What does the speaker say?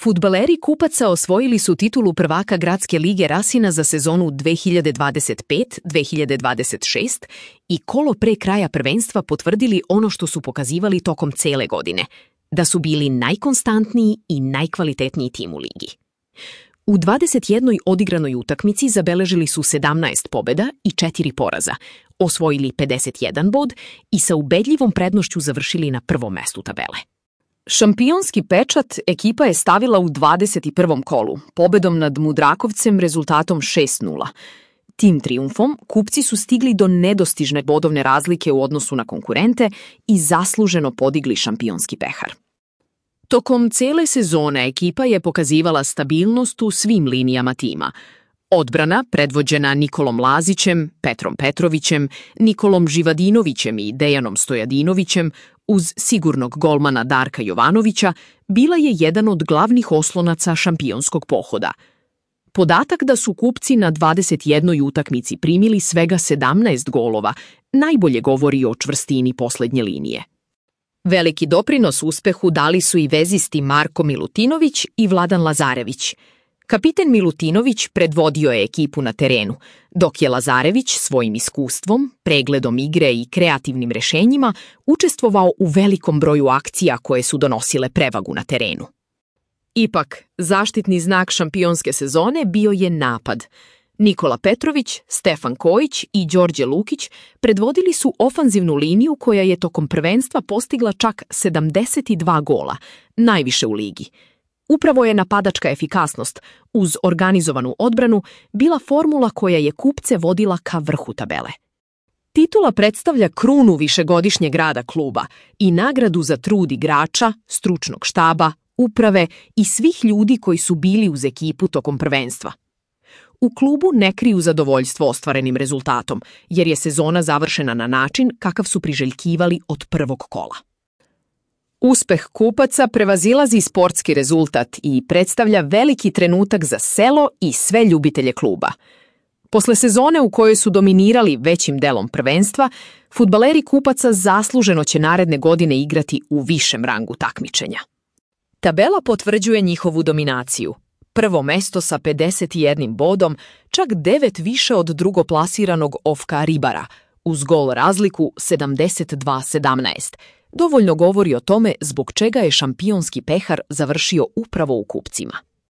Fudbaleri Kupaca osvojili su titulu prvaka Gradske lige Rasina za sezonu 2025-2026 i kolo pre kraja prvenstva potvrdili ono što su pokazivali tokom cele godine, da su bili najkonstantniji i najkvalitetniji tim u ligi. U 21. odigranoj utakmici zabeležili su 17 pobjeda i 4 poraza, osvojili 51 bod i sa ubedljivom prednošću završili na prvom mestu tabele. Šampionski pečat ekipa je stavila u 21. kolu, pobedom nad Mudrakovcem rezultatom 6:0. Tim trijumfom kupci su stigli do nedostižne bodovne razlike u odnosu na konkurente i zasluženo podigli šampionski pehar. Tokom cele sezone ekipa je pokazivala stabilnost u svim linijama tima. Odbrana, predvođena Nikolom Lazićem, Petrom Petrovićem, Nikolom Živadinovićem i Dejanom Stojadinovićem, uz sigurnog golmana Darka Jovanovića, bila je jedan od glavnih oslonaca šampionskog pohoda. Podatak da su kupci na 21. utakmici primili svega 17 golova najbolje govori o čvrstini poslednje linije. Veliki doprinos uspehu dali su i vezisti Marko Milutinović i Vladan Lazarević. Kapiten Milutinović predvodio je ekipu na terenu, dok je Lazarević svojim iskustvom, pregledom igre i kreativnim rešenjima učestvovao u velikom broju akcija koje su donosile prevagu na terenu. Ipak, zaštitni znak šampionske sezone bio je napad. Nikola Petrović, Stefan Kojić i Đorđe Lukić predvodili su ofanzivnu liniju koja je tokom prvenstva postigla čak 72 gola, najviše u ligi. Upravo je napadačka efikasnost, uz organizovanu odbranu, bila formula koja je kupce vodila ka vrhu tabele. Titula predstavlja krunu višegodišnjeg rada kluba i nagradu za trud igrača, stručnog štaba, uprave i svih ljudi koji su bili uz ekipu tokom prvenstva. U klubu ne kriju zadovoljstvo ostvarenim rezultatom, jer je sezona završena na način kakav su priželjkivali od prvog kola. Uspeh Kupaca prevazilazi sportski rezultat i predstavlja veliki trenutak za selo i sve ljubitelje kluba. Posle sezone u kojoj su dominirali većim delom prvenstva, fudbaleri Kupaca zasluženo će naredne godine igrati u višem rangu takmičenja. Tabela potvrđuje njihovu dominaciju. Prvo mesto sa 51 bodom, čak 9 više od drugoplasiranog Ofka Ribara, uz gol razliku 72-17. Dovoljno govori o tome zbog čega je šampionski pehar završio upravo u kupcima.